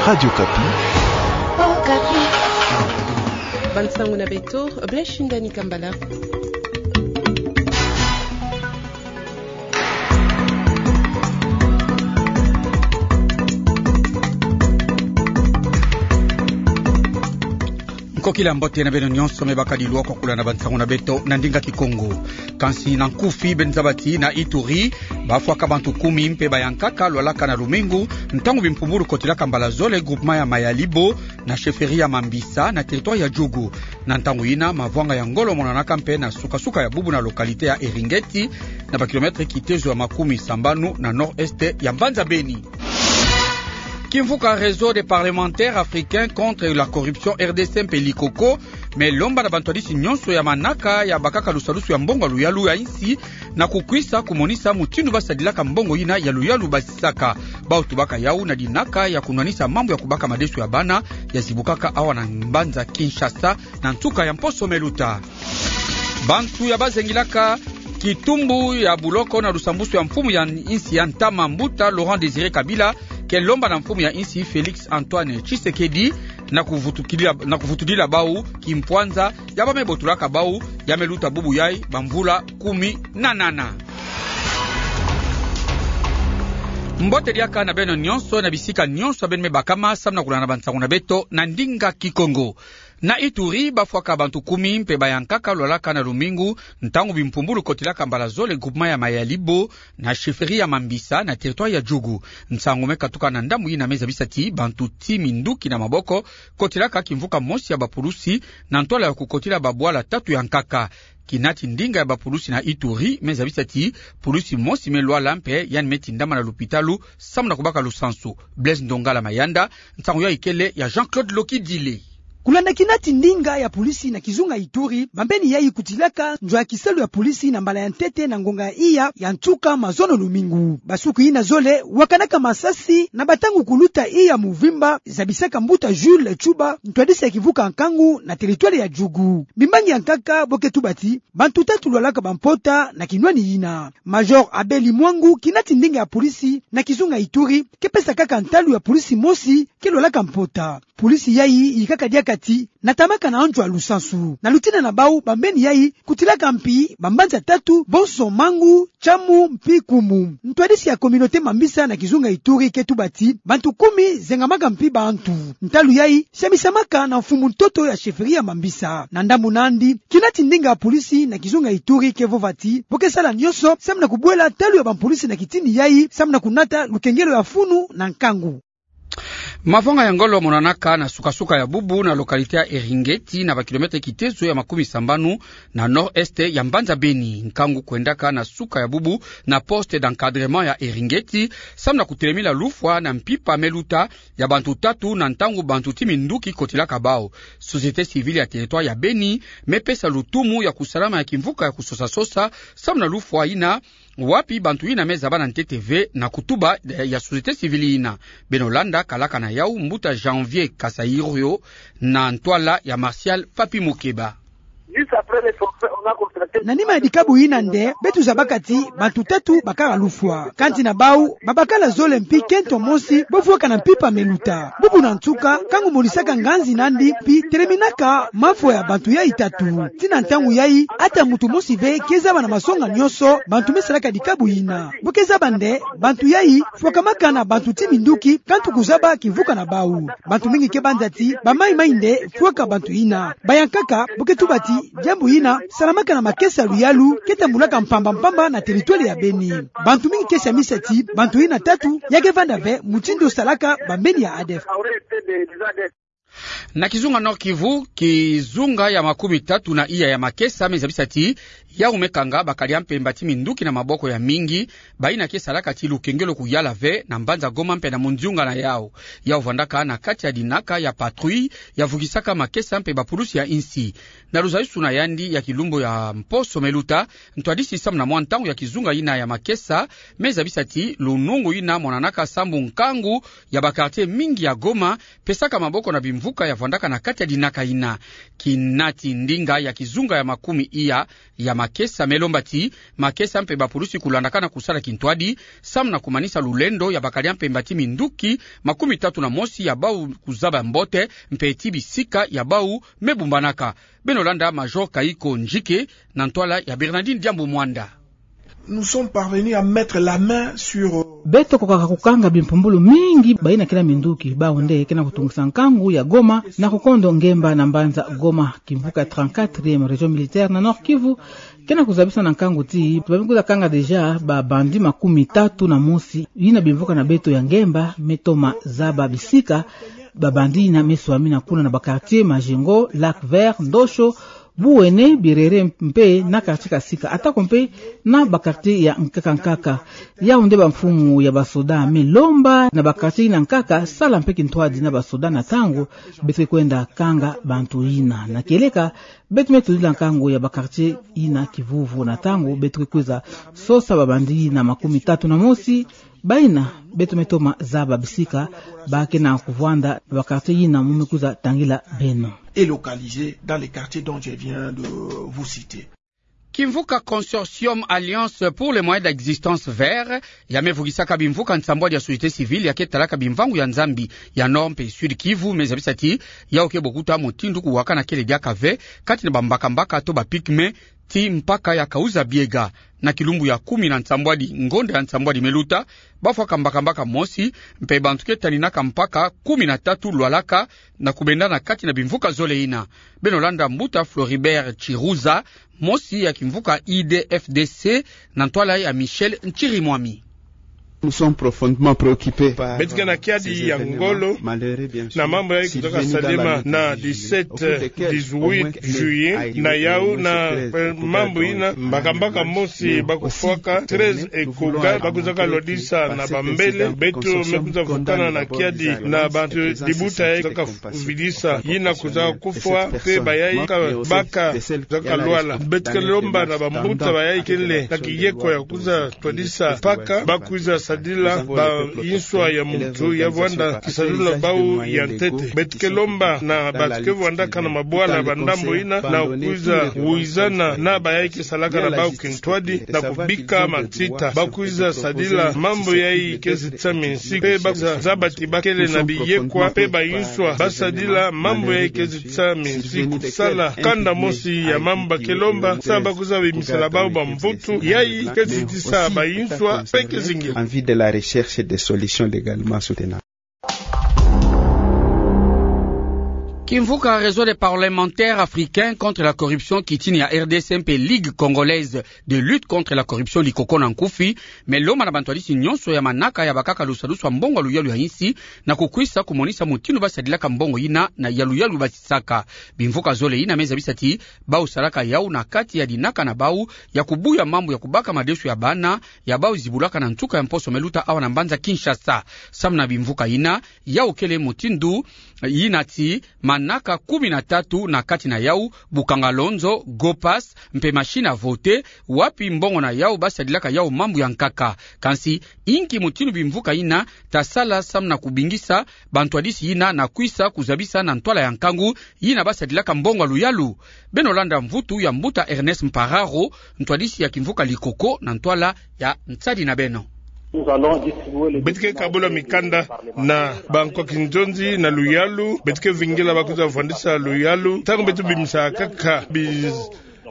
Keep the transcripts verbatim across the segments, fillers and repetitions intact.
Radio Okapi. Okapi. Bansango na beto, Blaise Shindani Kambala. Nkokila mbote na beno nyonso me bakadi lwakokula na bansango na beto na ndinga Kikongo. Kansi na nkufi, beno zaba ti na Ituri, bafwaka bantu kumi mpe bayankaka lwalaka na lumingu, ntangu bimpumbulu kotilaka mbala zole groupement ya Mayalibo, na chefferie ya Mambisa, na territoire ya Djugu. Na ntangu yina, mavwanga ya ngolo monanaka mpe na suka-suka ya bubu na localité ya Eringeti, na ba kilomètre kitezo ya makumi sambanu na nord-est ya mbanza Beni. Kimvuka Réseau des parlementaires africains contre la corruption, R D C, mpe Likoko, me lomba na bantwadisi nyonso ya manaka ya bakaka lusalusu ya mbongo ya luyalu ya insi, na kukwisa kumonisa mutindu basadilaka mbongo yina ya luyalu basisaka. Bau tubaka yau na dinaka ya kunwanisa mambu ya kubaka madesu ya bana ya zibukaka awa na mbanza Kinshasa na nsuka ya mposo me luta. Bantu ya bazengilaka kitumbu ya buloko na lusambusu ya mfumu ya insi ya ntama, Mbuta Laurent Désiré Kabila, ke lomba na mfumu ya insi Félix Antoine Tshisekedi na kuvutukilila, na kuvutudila bau kimpwanza ya ba me botulaka bau ya me luta bubu yai bamvula kumi na nana. Mbote diaka na beno nyonso na bisika nyonso beno me bakama, samu na kulanda bansango na beto na ndinga Kikongo. Na Ituri, bafwaka bantu kumi mpe bayankaka lwalaka na lumingu, ntangu bimpumbulu kotilaka mbala zole groupement ya Mayalibo, na chefferie ya Mambisa, na territoire ya Djugu. Nsangu me katuka na ndambu yina me zabisa ti bantu ti minduki na maboko kotilaka kimvuka mosi ya bapulusi na ntwala ya kukotila babwala tatu ya nkaka. Kina ti ndinga ya bapulusi na Ituri me zabisa ti pulusi mosi me lwala mpe yandi me tindama na lupitalu samu na kubaka lusansu. Blaise Ndongala Mayanda, nsangu yai kele ya Jean-Claude Lokidile. Kulanda kina ti ndinga ya pulisi na kizunga Ituri, bambeni yai kutilaka nzo ya kisalu ya pulisi na mbala ya ntete na ngonga ya iya ya nsuka mazono lumingu. Basuku yina zole wakanaka masasi na batangu kuluta iya muvimba, zabisaka mbuta Jules Tshuba, ntwadisi ya kivuka nkangu na territoire ya Djugu. Bimbangi ya nkaka bo ke tuba ti bantu tatu lwalaka bampota na kinwani yina. Major Abeli Mwangu, kina ti ndinga ya pulisi na kizunga Ituri, ke pesa kaka ntalu ya pulisi mosi ke lwalaka mpota. Pulisi yai yikaka diaka ti natamaka na nzo ya lusansu. Na lutina na bau, bambeni yai kutilaka mpi bambanza tatu, bonso Mangu, Tchamu mpi Koumu. Ntwadisi ya communauté Mambisa na kizunga Ituri ke tuba ti bantu kumi zengamaka mpi bantu. Ntalu yai samisamaka na mfumu ntoto ya chefferie ya Mambisa. Na ndambu nandi, kina ti ndinga ya pulisi na kizunga Ituri ke vova ti bo ke sala nyonso samu na kubwela talu ya bampulisi na kitini yai samu na kunata lukengelo ya funu na nkangu. Mavwanga ya ngolo monanaka na suka-suka ya bubu na localité ya Eringeti, na ba kilomètre kitezo ya makumi sambanu na nord-est ya mbanza Beni. Nkangu kwendaka na suka ya bubu na poste d'encadrement ya Eringeti samu na kutelemila lufwa na mpimpa me luta ya bantu tatu na ntangu bantu ti minduki kotilaka bau. Société civile ya territoire ya Beni me pesa lutumu ya kusalama ya kimvuka ya kusosa-sosa samu na lufwa yina, wapi bantu yina me zaba na ntete ve na kutuba, eh, ya société civile yina. Beno landa kalaka na yau, mbuta Janvier Kasaïrio, na ntwala ya Martial Papi Mukeba. Na nima ya dikabu yina nde beto zabaka ti bantu tatu bakala lufwa. Kansi na bau babakala zole mpi kento mosi bo vwaka na mpimpa me luta. Bubu na nsuka, nkangu monisaka nganzi nandi mpi teleminaka mafwa ya bantu yai tatu. Tii na ntangu yai, ata muntu mosi ve ke zaba na masonga nyonso bantu me salaka dikabu yina. Bo ke zaba nde bantu yai fwakamaka na bantu ti minduki, kansi kuzaba kimvuka na bau. Bantu mingi ke banza ti bamaimai nde fwaka bantu yina. Bayankaka bo ke tuba ti diambu yina salamaka na makesa ya luyalu ke tambulaka mpamba-mpamba na territoire ya Beni. Bantu mingi ke samisa ti bantu yina tatu ya ke vanda ve mutindu salaka bambeni ya ADF. Na kizunga Nord-Kivu, kizunga ya makumi tatu na iya ya makesa me zabisa ti yau me kanga bakalia mpemba ti minduki na maboko ya mingi, bayina ke salaka ti lukengelo kuyala ve na mbanza Goma mpe na munziunga na yau. Yau vandaka na kati ya dinaka ya patrouille ya vukisaka makesa mpe bapulusi ya insi. Na luzayusu na yandi ya kilumbu ya mposo me luta, ntwadisi samu na mwa ntangu ya kizunga yina ya makesa me zabisa ti lunungu yina monanaka sambu nkangu ya ba quartier mingi ya Goma pesaka maboko na bim- mvuka ya vwandaka na kati ya dinaka ina. Kinati ndinga ya kizunga ya makumi iya ya makesa me lomba ti makesa mpe bapulusi kulandakana kusala kintwadi, samu na kumanisa lulendo ya bakala mpemba ti minduki makumi tatu na mosi ya bau kuzaba mbote, mpe ti bisika ya bau me bumbanaka. Beno landa Major Kaiko Njike na ntwala ya Bernardine Diambu Mwanda. Nous sommes parvenus à mettre la main sur, euh, Beto kwiza kanga bimpumbulu mingi bayina ke na minduki, bau nde ke na kutungisa nkangu ya Goma na kukondo ngemba na mbanza Goma, kimvuka trente-quatrième région militaire na Nord-Kivu, ke na kuzabisa na nkangu ti ba me kwiza kanga déjà ba bandits makumi tatu na mosi. Yina bimvuka na beto ya ngemba me toma zaba bisika ba bandits yina me swamina kuna na ba quartiers Majengo, Lac Vert, Ndosho, Buwene, Birere mpe na quartier Kasika, atako mpe na ba quartiers ya nkaka nkaka. Yau nde bamfumu ya basoda me lomba na ba quartiers yina nkaka sala mpe kintwadi na basoda na ntangu beto ke kwenda kanga bantu yina. Na kieleka, beto me tondila nkangu ya ba quartiers yina kivuvu na ntangu beto ke kwiza sosa ba bandits yina makumi tatu na mosi, bayina beto me toma zaba bisika ba ke na kuvwanda na ba quartiers yina mu me kwiza tangila beno. Et localisés dans les quartiers dont je viens de vous citer. Kimvuka Consortium Alliance pour les moyens d'existence vert, ya me vugisaka bimvuka nsambwadi ya société civile ya ke talaka bimvangu ya Nzambi ya Nord mpe Sud Kivu, me zabisa ti yau ke bokuta mutindu kuwakana kele diaka ve kati na bambakambaka to ba pygmées ti mpaka ya Kahuzi-Biega. Na kilumbu ya kumi na nsambwadi ngonda ya nsambwadi me luta, bafwaka mbakambaka mosi, mpe bantu ke taninaka mpaka kumi na tatu lwalaka na kubendana kati na bimvuka zole yina. Beno landa mbuta Floribert Chiruza, mosi ya kimvuka I D F D C, na ntwala ya Michel Nchirimwami. Nous sommes profondément préoccupés par, euh, ces événements malheureux, bien sûr, survenus dans la journée. Beto ke na kiadi ya ngolo na mambu yayi kwizaka salama na dix-sept, dix-huit juillet, na yau na, eh, mambu yina, mbakambaka mosi ba kufwaka, treize ekoka ba kwizaka lwadisa na bambele. Beto me kwiza vukana na kiadi na bantu dibuta yayi kwizaka vidisa, yina kwizaka kufwa, mpe bayayi ka baka kwizaka lwala. Beto ke lomba na bambuta bayayi kele na kiyeko ya kwiza twadisa mpaka, ba kwiza sadila bayinswa ya muntu ya vwanda kisadulu na bau ya ntete. Beto ke lomba na bantu ke vwandaka na mabwala ba ndambu yina na kwiza wizana na bayayi ke salaka na bau kintwadi na kubika matsita. Ba kwiza sadila mambu yayi ke zitisa minsiku, mpe ba kwiza zaba ti ba kele na biyekwa mpe bayinswa ba sadila mambu yayi ke zitisa minsiku. Sala kanda mosi ya mambu ba ke lomba, sa ba kwiza bimisela bau bamvutu yayi ke zitisa bayinswa mpe ke zingila. En vue de la recherche de solutions légalement soutenables. Kimvuka Réseau des parlementaires africains contre la corruption, kitini ya R D C mpe Ligue congolaise de lutte contre la corruption, Likoko na nkufi, me lomba na bantwadisi nyonso ya manaka ya bakaka lusalusu ya mbongo ya luyalu ya insi, na kukwisa kumonisa mutindu ba sadilaka mbongo yina na ya luyalu ba sisaka. Bimvuka zole yina me zabisa ti bau salaka yau na kati ya dinaka na bau ya kubuya mambu ya kubaka madesu ya bana ya bau zibulaka na nsuka ya mposo me luta awa na mbanza Kinshasa. Samu na bimvuka yina, yau kele mutindu yina ti manaka kumi na tatu, na kati na yau bukanga lonzo, Go Pass, mpe machine à voter, wapi mbongo na yau ba sadilaka yau mambu ya nkaka. Kansi, inki mutindu bimvuka yina ta sala samu na kubingisa bantwadisi yina na kwisa kuzabisa na ntwala ya nkangu yina ba sadilaka mbongo ya luyalu? Beno landa mvutu ya mbuta Ernest Mpararo, ntwadisi ya kimvuka Likoko na ntwala ya nsadi na beno. Beto ke kabula mikanda na bankwa kinzonzi na luyalu, beto ke vingila ba kwiza vwandisa luyalu. Ntangu beto bimisa kaka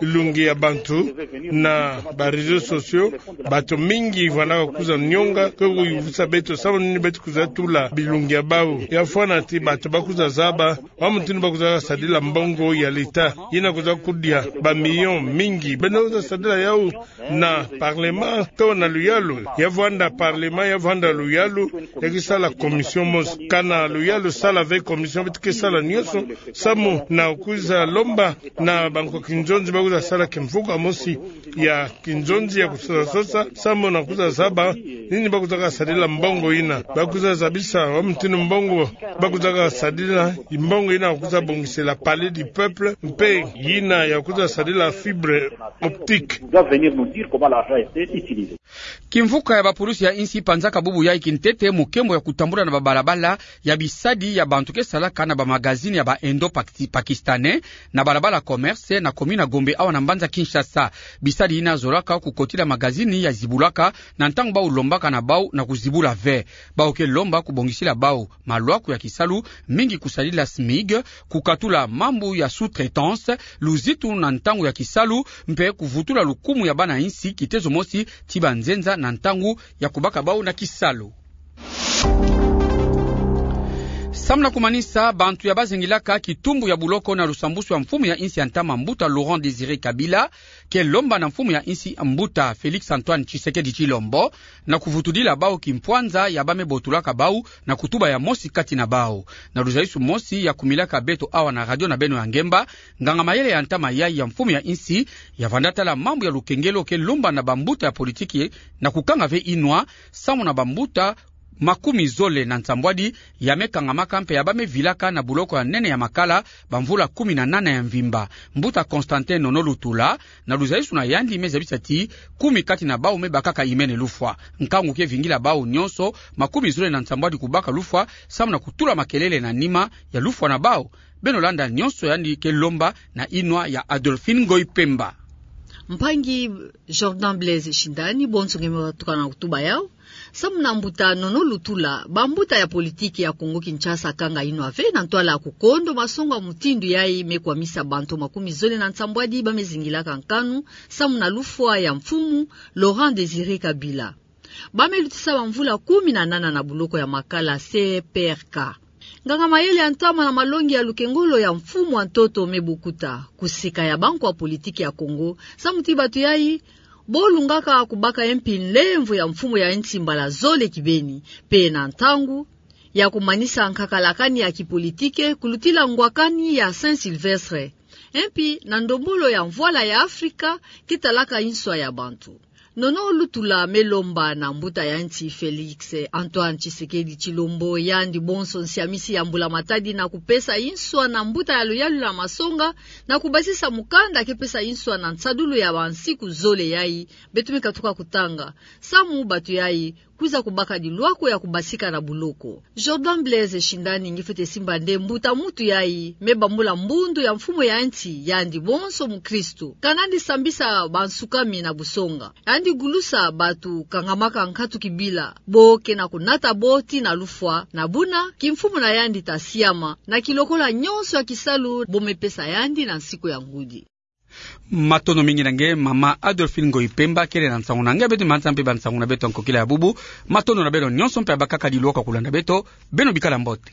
bilungi ya bantu na ba réseaux sociaux, bantu mingi vwandaka kwiza nyonga, ke kuyuvisa beto samu nini beto kwiza tula bilungi ya bau. Ya fwana ti bantu ba kwiza zaba wa mutindu ba kwiza sadila mbongo ya leta, yina kwiza kudia ba millions mingi. Beno kwiza sadila yau na parlement to na luyalu? Ya vwanda parlement, ya vwanda luyalu, ya ke sala commission mosi. Kana luyalu sala ve commission, beto ke sala nyonso samu na kwiza lomba na bankwa kinzonzi ba kwiza sala kimvuka mosi ya kinzonzi ya kusosa sosa, samu na kwiza zaba nini ba kwizaka sadila mbongo yina. Ba kwiza zabisa wa mutindu mbongo ba kwizaka sadila, mbongo yina ba kwiza bongisela Palais du Peuple, mpe yina ya kwiza sadila fibre optique. Doit venir nous dire comment l'argent a été utilisé. Kimvuka ya bapulusi ya insi ipanzaka bubu yai kintete mokembo ya kutambula na babalabala ya bisadi ya bantu ke salaka na bamagazini ya ba Indo-Pakistanais, na balabala Commerce, na commune ya Gombe awa na mbanza Kinshasa. Bisadi yina zolaka kukotila magazini ya zibulaka na ntangu bau lombaka na bau na kuzibula ve. Bau ke lomba kubongisila bau malwaku ya kisalu, mingi kusadila SMIG, kukatula mambu ya sous-traitance, luzitu na ntangu ya kisalu, mpe kuvutula lukumu ya bana insi kitezo mosi ti banzenza na ntangu ya kubaka bau na kisalu. Samu na kumanisa, bantu ya bazingilaka kitumbu ya buloko na lusambusu ya mfumu ya insi ya ntama mbuta Laurent Désiré Kabila ke lomba na mfumu ya insi mbuta Félix Antoine Tshisekedi Tshilombo na kuvutudila bau kimpwanza ya bame botulaka bau na kutuba ya mosi kati na bau. Na luzaisu mosi ya kumilaka beto awa na radio na beno ya ngemba, nganga-mayele ya ntama yai ya mfumu ya insi ya vanda tala mambu ya lukengelo ke lomba na bambuta ya politiki na kukanga ve inwa, samu na bambuta makumi zole na nsambwadi ya me kangamaka mpe ya bame vilaka na buloko ya nene ya Makala bamvula kumi na nana ya mvimba. Mbuta Constantin Nono Lutula, na luzaisu na yandi, me zabisa ti kumi kati na bau me bakaka imene lufwa. Nkangu ke vingila bau nyonso makumi zole na nsambwadi kubaka lufwa samu na kutula makelele na nima ya lufwa na bau. Beno landa nyonso yandi ke lomba na inwa ya Adolphine Ngoyi Pemba. Mpangi Jordan Blaise Shindani, bonso nge me batuka na kutuba yau. Samu na mbuta Nono Lutula, bambuta ya politiki ya Kongo Kinshasa kanga inwa ve na ntwala ya kukondo masonga mutindu yai me kwamisa bantu makumi zole na nsambwadi bame zingilaka nkanu samu na lufwa ya mfumu Laurent Désiré Kabila. Bame lutisa bamvula kumi na nana na buloko ya Makala C P R K. Nganga-mayele ya ntama na malongi ya lukengolo ya mfumu wa ntoto me bukuta kuseka ya bankwa politiki ya Kongo, samu ti bato yai bo lungaka kubaka E M P nlemvo ya mfumu ya insi mbala zole kibeni, mpe na ntangu ya kumanisa nkakala kani ya kipolitike kulutila ngwakani ya Saint-Sylvestre, E M P na ndombolo ya mvwala ya Afrika ke talaka inswa ya bantu. Nono Lutula me lomba na mbuta ya insi Félix Antoine Tshisekedi Tshilombo, yandi bonso nsiamisi ya Mbula Matadi, na kupesa inswa na mbuta ya luyalu la masonga na kubasisa mukanda ke pesa inswa na nsadulu ya bansiku zole yai beto me katuka kutanga, samu bato yai kwiza kubaka dilwako ya kubasika na buloko. Jordan Blaise Shindani, nge fwete simba nde mbuta muntu yai me bambula mbundu ya mfumu ya insi, yandi bonso mukristu, kanandi sambisa bansukami na busonga. Yandi gulusa bato kangamaka nkatu kibila bo ke na kunata bo tii na lufwa, na buna kimfumu na yandi ta siama na kilokola nyonso ya kisalu bo me pesa yandi na nsiku ya ngudi. Matondo mingi na nge, mama Adolphine Ngoyi Pemba, kele na nsangu na nge, beto manisa mpe ba nsangu na beto ya nkokila ya bubu. Matondo na beno nyonso mpe ya bakaka dilwaka kulanda beto, beno bikala mbote.